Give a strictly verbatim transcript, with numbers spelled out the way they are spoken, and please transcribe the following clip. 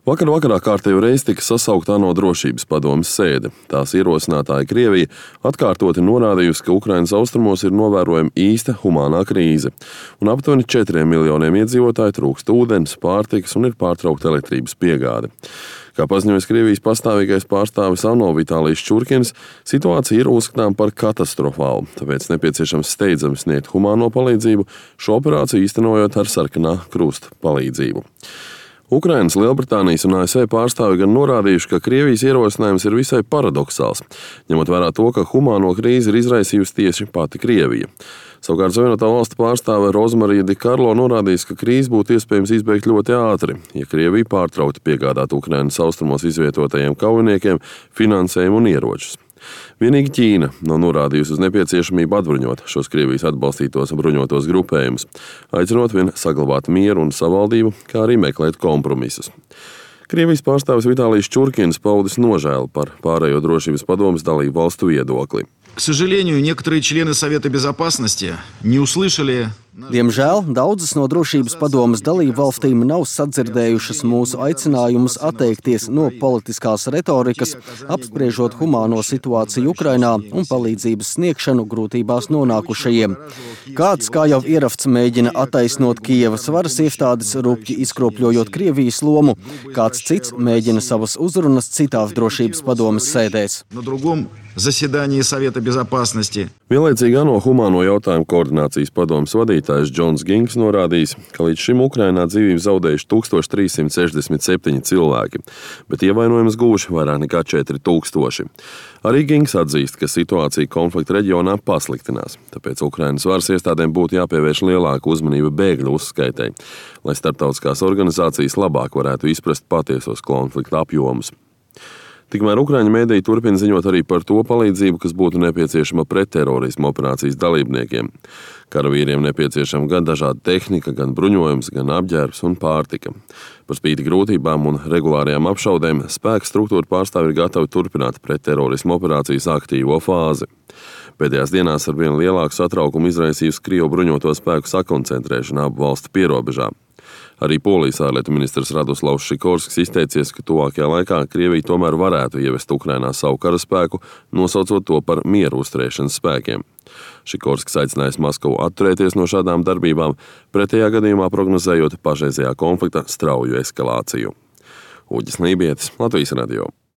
Vakar vakarā kārtējo reizi tika sasaukta ANO drošības padomes sēde. Tās ierosinātāja Krievija atkārtoti norādījusi, ka Ukrainas austrumos ir novērojama īsta humānā krīze, un aptuveni četriem miljoniem iedzīvotāju trūkst ūdens, pārtikas un ir pārtraukta elektrības piegāde. Kā paziņoja Krievijas pastāvīgais pārstāvis ANO Vitālijs Čurkins, situācija ir uzskatām par katastrofālu, tāpēc nepieciešams steidzami sniegt humāno palīdzību, šo operāciju īstenojot ar sarkanā krusta palīdzību. Ukrainas, Lielbritānijas un A S V pārstāvi gan norādījuši, ka Krievijas ierosinājums ir visai paradoxāls, ņemot vērā to, ka humāno krīzi ir izraisījusi tieši pati Krievija. Savukārt Savienotā valstu pārstāve Rozmarija Di Karlo norādījis, ka krīzi būtu iespējams izbeigt ļoti ātri, ja Krievija pārtrauktu piegādāt Ukrainas austrumos izvietotajiem kaujiniekiem finansējumu un ieročus. Vienīgi Ķīna nav norādījusi uz nepieciešamību atbruņot šos Krievijas atbalstītos bruņotos grupējumus, aicinot vien saglabāt mieru un savaldību, kā arī meklēt kompromisus. Krievijas pārstāvis Vitālijs Čurkins paudis nožēlu par pārējo drošības padomes dalību valstu viedokli. К сожалению, некоторые члены Совета Безопасности не услышали. Diemžēl daudzas no drošības padomes dalību valstīm nav sadzirdējušas mūsu aicinājumus atteikties no politiskās retorikas, apspriežot humāno situāciju Ukrainā un palīdzības sniegšanu grūtībās nonākušajiem. Kāds, kā jau Ieravts, mēģina attaisnot Kijevas varas iestādes, rupji izkropļojot Krievijas lomu, kāds cits mēģina savas uzrunas citās drošības padomes sēdēs. Заседании Совета Безопасности. Vienlaicīgi ANO humāno jautājumu koordinācijas padomes vadītājs Džons Gings norādījis, ka līdz šim Ukrainā dzīvību zaudējuši tūkstoš trīs simti sešdesmit septiņi cilvēki, bet ievainojumus guvuši vairāk nekā četri tūkstoši. Arī Gings atzīst, ka situācija konflikta reģionā pasliktinās, tāpēc Ukrainas varas iestādēm būtu jāpievērš lielāka uzmanība bēgļu uzskaitei, lai starptautiskās organizācijas labāk varētu izprast patiesos konflikta apjomus. Tikmēr Ukraiņu mēdīji turpina ziņot arī par to palīdzību, kas būtu nepieciešama pretterorisma operācijas dalībniekiem. Karavīriem nepieciešama gan dažāda tehnika, gan bruņojums, gan apģērbs un pārtika. Par spīti grūtībām un regulārajām apšaudēm spēka struktūra pārstāvi ir gatavi turpināt pretterorisma operācijas aktīvo fāzi. Pēdējās dienās ar vien lielāku satraukumu izraisījusi Krievu bruņoto spēku sakoncentrēšana abu valstu pierobežā. Arī Polijas ārlietu ministrs Radoslavs Šikorskis izteicies, ka tuvākajā laikā Krievija tomēr varētu ievest Ukrainā savu karaspēku, nosaucot to par mieru uzturēšanas spēkiem. Šikorskis aicinājis Maskavu atturēties no šādām darbībām, pretējā gadījumā prognozējot pašreizējā konflikta strauju eskalāciju. Uģis Lībietis, Latvijas radio.